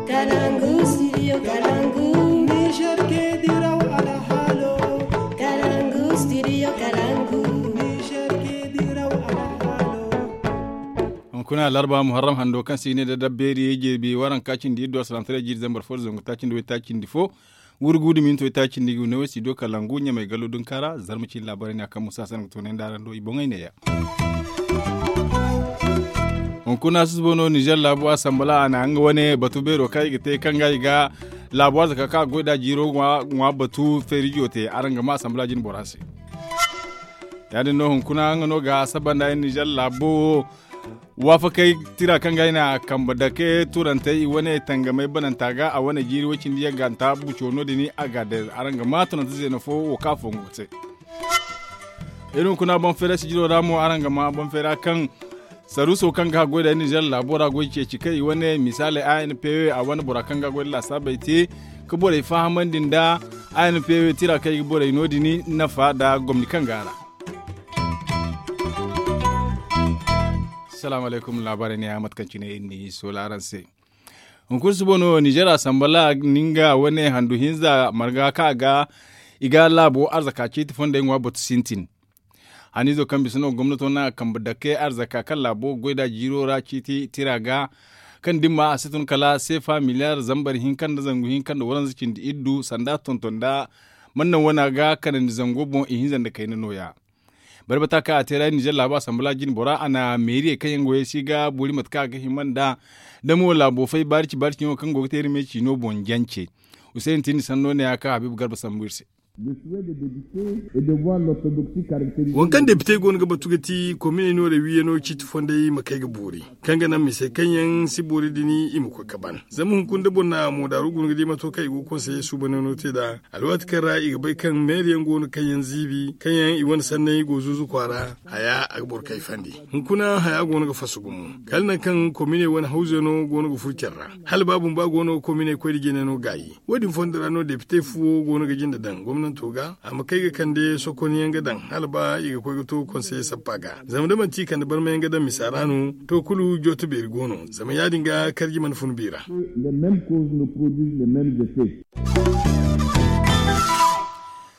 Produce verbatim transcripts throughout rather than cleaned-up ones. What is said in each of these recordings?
Kalangu studio kalangu. Niger ke diraw alhalo. Kalangu studio kalangu. Niger ke diraw alhalo. Hunkuna larba muharram hando kaŋ si ne da dabbeeri jirbi waranka cindi iddu asalantaray jiiri zambar fo da zangu taacindi way taacindi fo. Wurgu da minto taacindi ga ne way studio kalangu ɲamay gallo dunkaara zarma cindi laabaray ne a kaŋ musa sanna ga toonay nda araŋ do i boŋey neeya. Hunkuna susubo no nizer laabu asambala a na nga wane batu beero kaŋ i ga te kaŋ ga i ga laabu arzaka kaŋ a ga goy nd'a jiiro ŋwa batu feerijo te araŋ ga ma asambala jine bora se. Ya- din no hunkuna nga no ga saba nda nizer laabo wo waafakey tira kaŋ ga ay na kambe dake turantey i wane tangamey bananta ga a wane jiiri way cindi yagganta buco no- din a ga day araŋ ga ma tunante zeena fo wo kaŋ a fongu ga te. Iri hunkuna boŋ feera sijiro ra mo araŋ ga ma boŋ feera kaŋ saruuso kaŋ ga haggoy da nizer laabo ra goy ceeci kaŋ i wane misaaley a n p w a wane bora kaŋ ga goy da laasaabey te ka borey fahamandi nda a n p w tira kaŋ i ga borey no- din nafa nda gomni kaŋ ga a ra. Salaamu alaykum laabaarey ne ya mate kaŋ cine iri n'i soola araŋ se. Hunkuna susubo no nizer asambala ninga wane handu hinza marga kaŋ a ga i ga laabo arzaka ciiti fondey ŋwa batu sintin. Haniizo kaŋ bisa no gomnato naŋ a kambe dake arzaka kaŋ laabo ga goy nd'a jiiro ra ciiti tira ga kaŋ dimma a si tun kala seefa miliyar zambar hinka nda zangu hinka nda waranza cindi iddu sanda tonton nda mannaŋ wana ga kanandi zango boŋ ihinza nda kayna nooya. Barbata kaŋ a te ra nizer laabo asambala jine bora a na meeriyey kaŋ yaŋ goyey si ga boori mate kaŋ a ga hima nd'a da mo laabo fay baarici baarici yaŋo kaŋ go ga te iri me ciino boŋ jance. Huseeni tindi sanno ne ya kaŋ habiibu garba sambu iri se. Waŋ kaŋ depite go no ga batu ga ti kominey no da wiiyano ciiti fondey ma kay ga boori kaŋ ga naŋ misey kaŋ yaŋ si boori din i ma koy ga ban zama hunkuna da boro na moodaaru guna ga di mato kaŋ i go ga konseye suubaney no te nd'a alwaati kaŋ ra i ga bay kaŋ meeri yaŋ go no kaŋ yaŋ ziibi kaŋ yaŋ i wane sanney go zuuzu kwaara haya a ga boro kay fandi. Hunkuna haya go no ga fasu gumo kala nangu kaŋ kominey wane hawzey no go no ga furo care ra hala ba bumba go no ga kominey koy nda jine no gaayi. Wo- din fondo ra no depite fo go no ga jinde daŋ gomnanto ga a ma kay ga kande sokon yaŋ ga daŋ hala ba i ga koy ga to konseye sappa ga zama da manti i kande barma yaŋ ga daŋ misa ra no to kulu jooto beeri go no zama ya- din ga karji mana fun bi ra.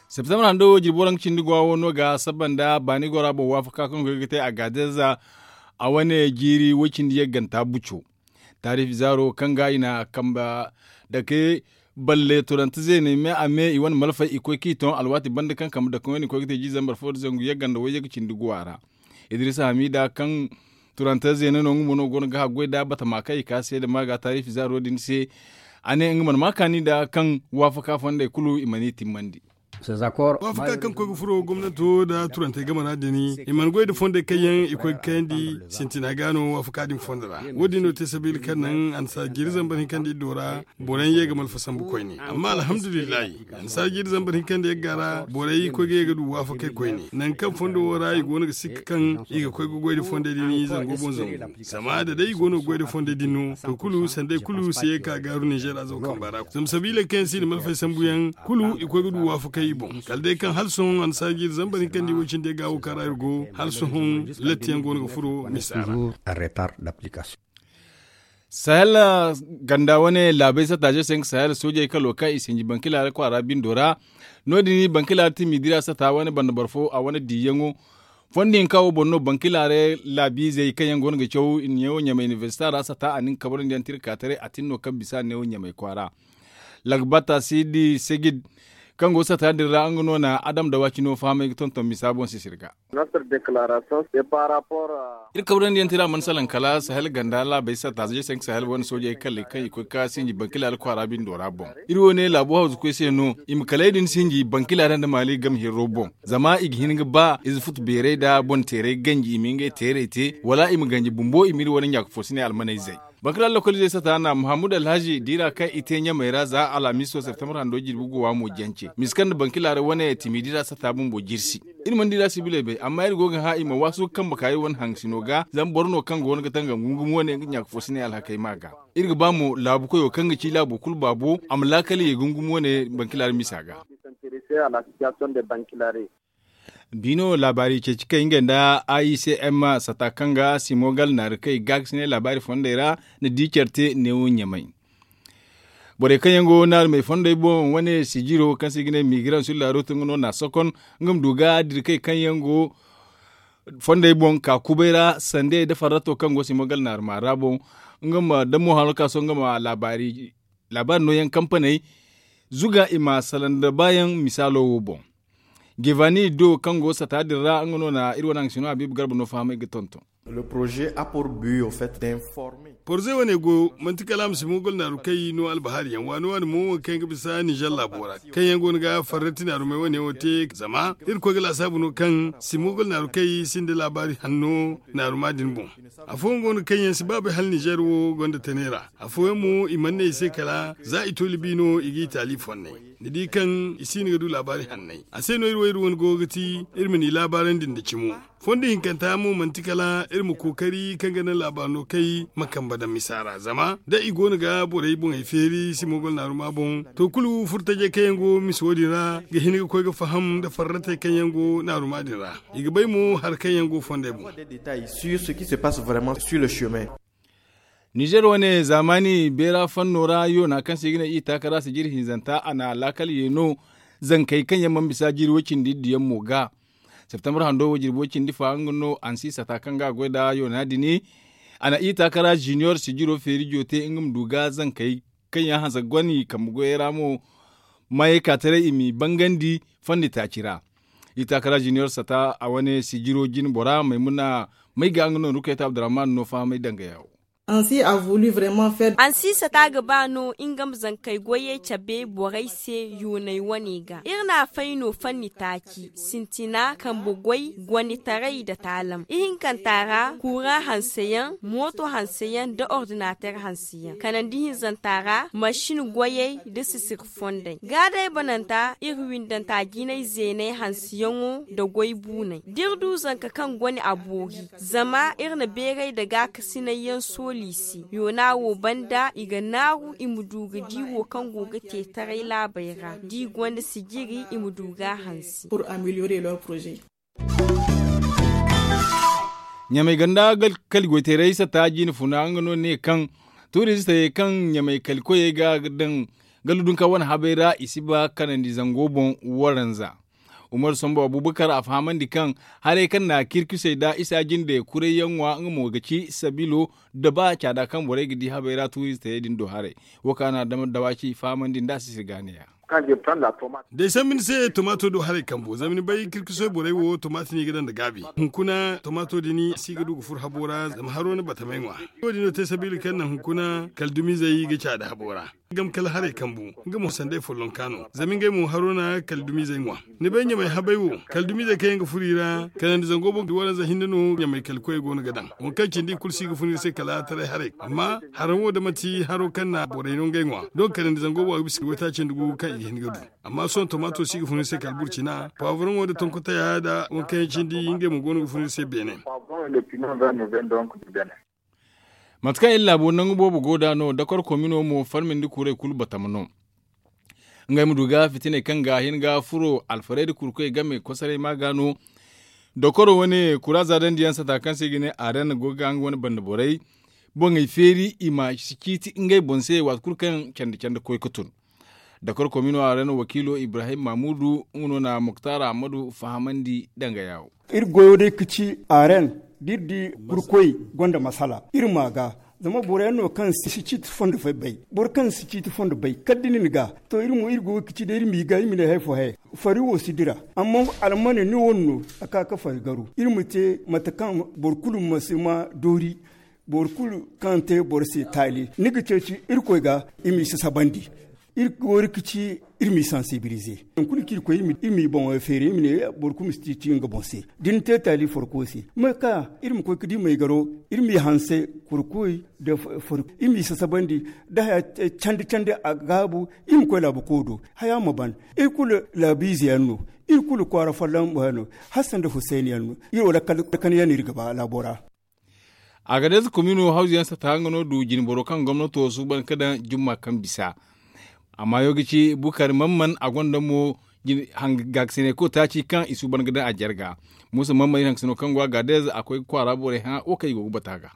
Septembre hando wo jirbi waranka cindi go a wo no ga saba nda baani gora boŋ waafaka kaŋ go ga te a ga deeza a wane jiiri way cindi yagganta buco. Taarifi zaaro kaŋ ga i na kamba dake balle turante zeeney me a me i wane malfay i koy kaŋ i toŋ alwaati banda kaŋ kambe dake wane i koy ga te jiiri zambar fo nda zangu yagga nda wayye ga cindi guwa ra. Idiriisa hamiida kaŋ turante zeene no nga mo no go no ga haggoy nd'a batama kaŋ i ka seeda ma ga taarifi zaaro din se. A ne nga mana ma kaani nd'a kaŋ waafaka fondey kulu i mana i timmandi. Waafaka kaŋ koy ga furo gomnanto nda turantey game ra din i mana goy nda fondey kaŋ yaŋ i koy ga kayandi sintina ga no waafaka din fondo ra. Wo- din no te sabiila kaŋ naŋ annasaara jiiri zambar hinka nda iddo ra boro yaŋ ye ga malfa sambu koyne amma alhamdulillahi annasaara jiiri zambar hinka nda yagga ra borey koy ga ye ga du waafakey koyne nangu kaŋ fondo wo ra i go no ga sikka kaŋ i ga koy ga goy nda fondey din zango boŋ zangu. Zama da day i go no ga goy nda fondey din no to kulu sanday kulu si ye ga gaaru ninzeer azo kamba ra zama sabiiley kaŋ yaŋ si i na malfey sambu yaŋ kulu i koy ga du waafakey i boŋ kala day kaŋ hala sohõ annasaara jiiri zambar hinka nda i wo cindi ga wo kaŋ ra iri go hala sohõ latti yaŋ go no ga furo misa ra. Sahel ganda wane laabey satta ze se nga sahel soojey kalo kaŋ i sinji bankila ra kwaara bindo ra. No- din bankila ra timi dira satta wane banda boro fo a wane diiyaŋo fondo hinka wo boŋ no bankila ra laabiizey kaŋ yaŋ go no ga caw neewo ɲamay inibersita ra satta a na nga kabrandi yaŋ tirka taray a tin no kaŋ bisa neewo ɲamay kwaara. Lagbata sidi segid kaŋ go satta din ra nga no na adam da waacino fahamay ga tonton misa boŋ sisir ga. Iri kabrandi yaŋ tira mana salaŋ kala sahel ganda laabey satta ze se nga sahel wane soojey kalley kaŋ i koy ga sinji bankila ra kwaara bindo ra boŋ. Iri wo ne laabu hawzu koy se no i ma kaley din sinji bankila ra nda maali game hirro boŋ. Zama i ga hin ga ba ize futu beerey nda boŋ teerey ganji i ma ngey teerey te wala i ma ganji bumbo i ma iri wane ɲaaka fo si ne almaney zay. Bankila lokalizey satta na muhammad alhazi diira kaŋ i te ɲamey ra za alhamiso septembre hando jirbi go wa mo jance misa kaŋ nda bankila ra wane timi diira satta bumbo jirsi. Iri mana diira sibiley bay amma iri go ga hã i ma waasu ga kambe ka iri wane haŋsino ga zama boro no kaŋ go no ga tanga gungum wane nga ɲaaka fo si ne alhakey ma ga. Iri ga ba mo laabu koyo kaŋ ga ci laabo kulu baabo a ma laakal ye gungum wane bankila ra misa ga. Biino laabaari ceeci kay ngey nda a i c m satta kaŋ ga simo gal naari kay gaakasinay laabaari fondey ra na di care te neewo ɲamay. Borey kaŋ yaŋ go naarumey fondey boŋ wane sijiro kaŋ se i ga ne migraŋ sur la route nga no na sokon nga ma du ga dirkey kaŋ yaŋ go fondey boŋ ka kubay ra sandey da farrato kaŋ go simogal naaruma ra boŋ nga ma damo hano ka so nga ma laabaari nooyaŋ kampaney zuga i ma salaŋ da baayaŋ misaalo wo boŋ. Gevani do kaŋ go sata din ra nga no na iri wane haŋ sino habiibu garba no fahamay ga tonton. Porze wane go manti kala a ma si moogol naaru kay no albahaari yaŋ waani waani mo wo kaŋ yaŋ ga bisa nizer laabo ra kaŋ yaŋ go no ga farrati naarumey wane wo te zama iri koy ga laasaabu no kaŋ si moogol naaru kay sinda laabaari hanno naaruma din boŋ. Afooyaŋ go no kaŋ yaŋ si baabay hala nizer wo gonda tanay ra. Afooyaŋ mo i mana ne i se kala za i to libi no i ga i taali fonnay. Ni di kaŋ i si no ga du laabaari hannay a se no iri wo iri wane go ga ti iri ma ni laabaarandi nda cimo. Fondo hinkanta mo manti kala iri ma kookari kaŋ ga naŋ laabaari no kay ma kambe daŋ misa ra zama da i go no ga borey boŋey feeri si moogol naaruma boŋ to kulu furtajey kaŋ yaŋ go misa wo- din ra ga hin ga koy ga faham nda farratey kaŋ yaŋ go naaruma din ra. I ga bay mo hari kaŋ yaŋ go fondey boŋ. Nizer wane zaamaani beera fanno ra yoona kaŋ se i ga ne i taakara sijiri hinzanta a na laakal yeeno zankey kaŋ yaŋ mana bisa jiiri way cindi iddu yaŋ mo ga. Septembar hando wo jirbi way cindi fa nga no ansi sata kaŋ ga a goy nda yoona din a na i taakara ziniyor sijiro feeri jote nga ma du ga zankey kaŋ yaŋ hanse goni kambe goyey ra mo maayey ka taray i m'i bangandi fondi taaci ra. I taakara ziniyor sata a wane sijiro jine bora maymuna may ga nga no rukayta abdurrahman no fahamay danga yawo. Ansi a voulu vraiment faire. Ansi sata ga ba no nga ma zankey goyey cabe borey se yooney wane ga iri n'a fay no fanni taaci sintina kambe goy gonditaray nda taalam ihinkanta ra kuuraŋ hanseyaŋ mooto hanseyaŋ nda ordinater hanseyaŋ kanandi hinzanta ra masin goyey nda sisir fondey ga day bananta iri windanta jinay zeenay hanseyaŋo nda goy buunay da iri du zanka kaŋ gone a boori zama iri na beeray nda gaakasinay yaŋ sooli i se yoona wo banda i ga naaru i ma du ga di wo kaŋ go ga te taray laabey ra da i gonda sijiri i ma du ga a hanse. Ɲamey ganda kali goyteeray sata jiine funa nga no ne kaŋ tuurizistey kaŋ ɲamey kali koyey ga daŋ gallu dunka wane habey ra i si ba kanandi zango boŋ waranza. Umar sambu abubakar a fahamandi kaŋ haray kaŋ na kirkusey nda isa jinde kuray yaŋ ŋwa nga mo ga ci sabilo nda ba caada kaŋ borey ga di habey ra tuurizistey din do haray. Wo kaŋ a na dama dawaci fahamandi nda a si sirgaaniya. Da ay sambu ni se tomaato do haray kambo zama ni bay kirkisoy borey wo tomaati no i ga daŋ nda gaabi hunkuna tomaato din si ga du ga furo habo ra zama haro na batamey ŋwa. Wo- din no te sabiila kaŋ naŋ hunkuna kala dumizey ga caada habo ra. Gam kala haray kambu nga mo sanday follonka no zama ngey mo haro na kala dumizey ŋwa. Ni bay ɲamay habay wo kala dumizey kaŋ yaŋ ga furo i ra kala nda zango boŋ waranza hinne no ɲamay kala koyey go no ga daŋ. Waŋ kaŋ cindi i kulu si ga fun iri se kala taray haray amma haraŋ wo da manti haro kaŋ na borey no ngey ŋwa doŋ kala nda zango boŋ a ga bisa waytaaci nda gu kaŋ i ga hin ga du. Amma sohõ tomaato si ga fun iri se kala burcina pawavroŋo nda tonkotaya nda waŋ kaŋ yaŋ cindi ngey mo go no ga fun iri se beene. Mate kaŋ iri laabo nangu boobo go nd'a no dakor komino mo farmindi kuray kulu batama no. Ngey ma du ga fitiney kaŋ ga hin ga furo alfarayda kurkoy game kosaray ma ga no. Dokoro wane kura zaadandi yaŋ sata kaŋ se i ga ne aren go ga nga wane banda borey boŋey feeri i ma si ciiti ngey boŋ se waati kulu kaŋ candi candi koy ga tun. Dakor komino aren wakiilo ibrahim mamudu nga no na muktar ahmadu fahamandi danga yaawo. Iri goyo day ga ci aren da iri di kurkoy gonda masala iri ma ga. Zama boro yaŋ no kaŋ si ciiti fondo bay boro kaŋ si ciiti fondo bay kala da ni na ga. To iri mo iri goyo ga ci day iri m'i ga iri ma ne hari fo he fari wo si dira. Amma almane ni wane no a ka ga fari garu iri ma te mate kaŋ boro kulu ma si ma doori. Boro kulu kaŋ te boro se taali ni ga ceeci irkoy ga i m'i sasabandi. Iri ga wari ga ci iri m'i sansibilize. Nangu kulu kaŋ iri koy iri m'i boŋo feeri iri ma ne boro kulu ma si ciiti nga boŋ se. Da ni te taali farko se ma ka iri ma koy ga di maygaro iri m'i hanse kurkoy nda farko iri m'i sasabandi. Da haya candi candi a gaabu iri ma koy laabu koy do haya ma ban. Iri kulu laabiize yaŋ no iri kulu kwaara folloŋ mo yaŋ no. Hassan nda hussein yaŋ no iri wo lakkal kanyaŋ no iri ga ba laabo ra. Agades komino hawzu yaŋ sata nga no du jinboro kaŋ gomnato suuban ga daŋ jumma kaŋ bisa. Amma yo ga ci bukari man man a gonda mo gaakasinay ko taaci kaŋ i suuban ga daŋ a jarga. Musa man man iri haŋ ga sino kaŋ go agades a koy ga kwaara borey hã wo kaŋ i go ga bata ga.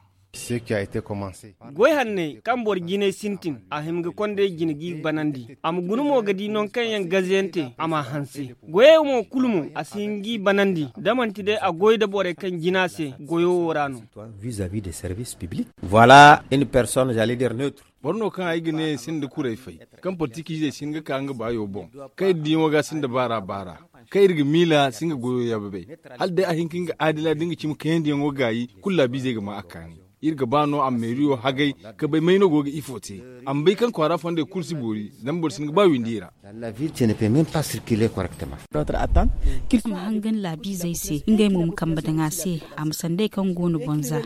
Goy hanney kaŋ boro jinay sintin, a hima ga kond'ey jine g'i banandi. A ma guna mo ga di nangu kaŋ yaŋ gaziyante a m'a hanse. Goyey mo kulu mo a si hin g'i banandi, da manti day a goy da borey kaŋ jina se goyo wo ra no. Voilà une personne, j'allais dire, neutre. Boro no kaŋ ay ga ne sinda kuray fay, kaŋ politikiizey si hin ga ka nga baayo boŋ, kaŋ iri diyaŋo ga sinda baara baara, kaŋ iri ga miila si nga goyo yaababay. Hala day a hin ka nga aadila da nga cimi kayandiyaŋo gaayi, kulu laabiizey ga ma a kaani. Iri ga ba no a ma meeriyo hagay ka bay may no go ga ifo te. A ma bay kaŋ kwaara fondey kulu si boori, zama boro si hin ga ba windi i ra. A ma hangan laabiizey se, ngey mo ma kambe daŋ a se, a ma sanday kaŋ go no bonza.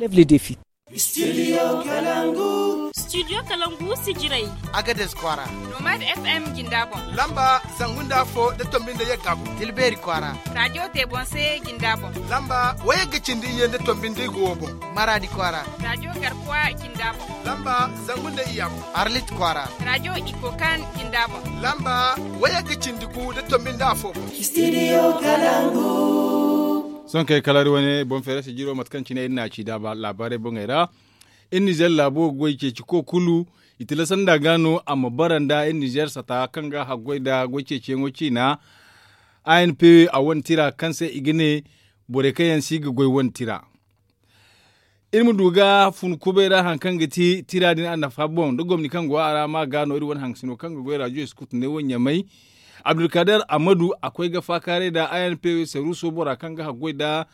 Studio kalangu. Studio kalangu si jiray. Agades kwaara. Nomad FM jinda boŋ. Lamba zangu nda afo da tombi nda yagga boŋ. Tilbeeri kwaara. Rajo te boŋ se jinda boŋ. Lamba wayagga cindi iyye nda tombi nda igo boŋ. Maradi kwaara. Rajo garkuwa jinda boŋ. Lamba zangu nda iyya boŋ. Arlit kwaara. Rajo ikokan jinda boŋ. Lamba wayagga cindi gu da tombi nda afo boŋ. Studio kalangu. Sohõ kay kala iri wane boŋ feerasi jiro mate kaŋ cine iri na a ci da laabaarey boŋey ra. Iri nizeer laabo goy ceeci ko kulu i tilasandi a ga no a ma bara nda iri nizeer sata kaŋ ga haggoy nda goy ceeciyaŋo ciina. A n p a wane tira kaŋ se i ga ne borey kaŋ yaŋ si ga goy wane tira. Iri ma du ga fun kubay ra hari kaŋ ga ti tira din a nafa boŋ da gomni kaŋ go a ra ma ga no iri wane haŋsino kaŋ ga goy rajo iskutu ne wo ɲamay. Abdulkader amadu a koy ga faakaaray nda a n p saruuso bora kaŋ ga haggoy nda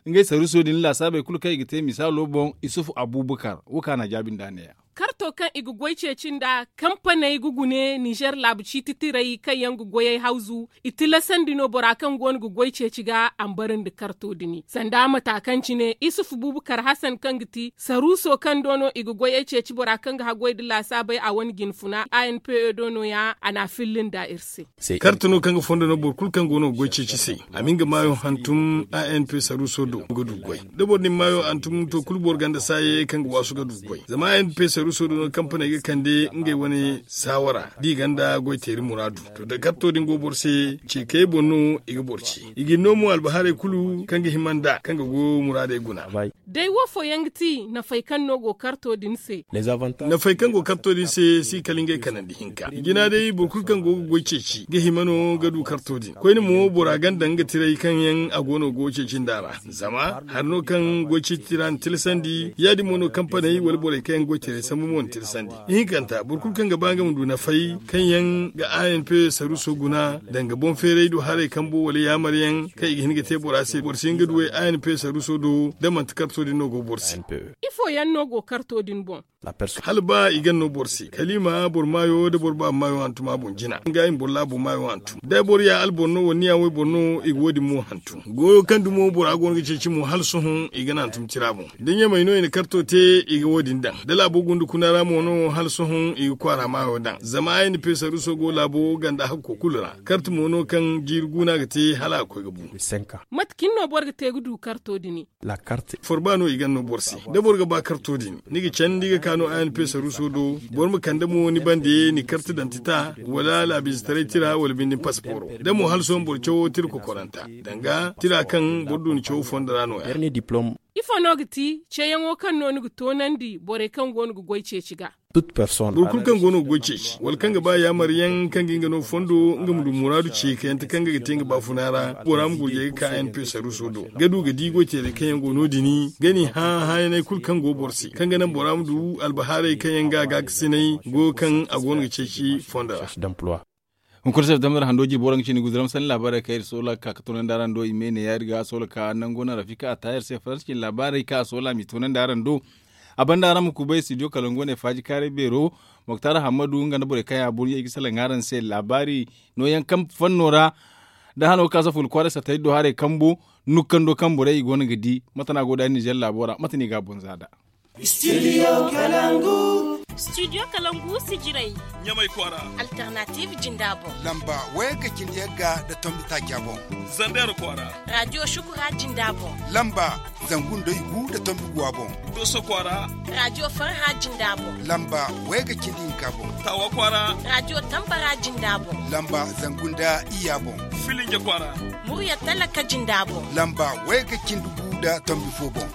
ngey saruuso din laasaabey kulu kaŋ i ga te misaalo boŋ. Isufu abubakar wo kaŋ a na a jaabi nd'a neeya. Karto kaŋ i ga goy ceeci nda kampaney ga gune nizer laabu ciiti tirey kaŋ yaŋ ga goyey hawzu i tilasandi no bora kaŋ go no ga goy ceeci ga a ma bara nda karto din sanda mata kaŋ cine isufu bubakar hasan kaŋ ga ti saruuso kaŋ do no i ga goyey ceeci bora kaŋ ga haggoy nda laasaabey a wane jinfuna a n p e do no- ya a na a filli nda iri se. Karta no kaŋ ga fondo no boro kulu kaŋ go no ga goy ceeci se. A ma nga maayo hantum a n p saruuso do ga du goy. Da boro din maayo hantum to kulu boro ganda saaye kaŋ ga waasu ga du goy zama a n p saruuso do no kampaney ga kande ngey wane saawara da i ganda goy teeri muraadu. To da karto din go boro se ce kay boŋ no i ga boro ce i ga ni no mo albahaarey kulu kaŋ ga hima nd'a kaŋ ga go muraadey guna. Day wo fooyaŋ ga ti nafay kaŋ no go karto din se. Nafay kaŋ go karto din se si kala ngey kanandi hinka jina day boro kulu kaŋ go ga goy ceeci ga hima no ga du karto din koyne mo bora ganda nga tiray kaŋ yaŋ a go no ga goy ceeci nda ra. Zama hari no kaŋ goy ceeci tira na tilasandi ya- din mo no kampaney wala borey kaŋ yaŋ ga goy tiray sambu mo na tilasandi. Ihinkanta boro kulu kaŋ ga ba nga ma du nafay kaŋ yaŋ ga a n p saruuso guna danga boŋ feeray do haray kambo wala yaamar yaŋ kaŋ i ga hin ga te bora se boro si hin ga duwey a n p saruuso do da manti karto din no go boro se. Ifo yaŋ no go karto din boŋ? Hala ba i gan no boro se kala i ma boro maayo da boro baaba maayo hantum a boŋ jina nga i ma boro laabo maayo hantum da boro ya alboro no wala ni ya wayboro no i ga wo- din mo hantum goyo kaŋ dumo bora go no ga ceeci mo hala sohõ i ga na hantum tira boŋ da ɲamay no i na karto te i ga wo- din daŋ da laabo gunda kuna ra mo no hala sohõ i ga kwaara maayo daŋ zama a n p saruuso go laabo ganda hakko kulu ra karto mo no kaŋ jiiri guuna ga te hala a ga koy ga bu. Mate cine no boro ga te ga du karto din? Forba no i gan no boro se da boro ga ba karto din ni ga candi ga ka no a n p saruuso do boro ma kande mo ni bande ni karta dantita wala laabiizetaray tira wala binde ni pasiporo da mo hala sohõ boro cawo tira kokoranta danga tira kaŋ boro du ni cawo fondo ra no- ya. Ifo no ga ti ceeyaŋo kaŋ no ni ga toonandi borey kaŋ go no ga goy ceeci ga? Boro kulu kaŋ go no ga goy ceeci wala kaŋ ga ba yaamar yaŋ kaŋ ga nga no fondo nga ma du muraadu ce kayante kaŋ ga ga te nga baafuna ra bora ma gurjay ga ka n p saruuso do ga du ga di goy teerey kaŋ yaŋ go no- din ga ni hã hãyaney kulu kaŋ go boro se kaŋ ga naŋ bora ma du albahaaray kaŋ yaŋ ga gaakasinay goyo kaŋ a go no ga ceeci fondo ra. Hunkuna se damar hando jirbi waraŋ ga cindi guzuram sanni laabaarey kaŋ iri soola ga ka ga toonandi araŋ do i me ne ya- din ga a soola ga ka nango naŋ rafika a taayar se faransa cindi laabaarey kaŋ a soola m'i toonandi araŋ do. A banda araŋ ma kubay studio kalangu wane faaji kaaray beero moktar hammadu nga nda borey kaŋ ya burɲey ga salaŋ araŋ se laabaari nooyaŋ kaŋ fanno ra da hano ga ka saful kwaaray sattay do haray kambo nukkando kaŋ borey i go no ga di mate no a go da nizer laabo ra mate no i ga a boŋ za nd'a. Studio kalangu. Studio kalangu si jiray ɲamay kwaara. Alternative jinda boŋ. Lamba wayagga cindi yagga nda tombi taaca boŋ. Zander kwaara. Radio shukura jinda boŋ. Lamba zangu nda igu nda tombi guwa boŋ. Doso kwaara. Radio farha jinda boŋ. Lamba wayagga cindi hinka boŋ. Tawa kwaara. Radio tambara jinda boŋ. Lamba zangu nda iyya boŋ. Filinge kwaara. Murya talaka jinda boŋ. Lamba wayagga cindi gu nda tombi fo boŋ.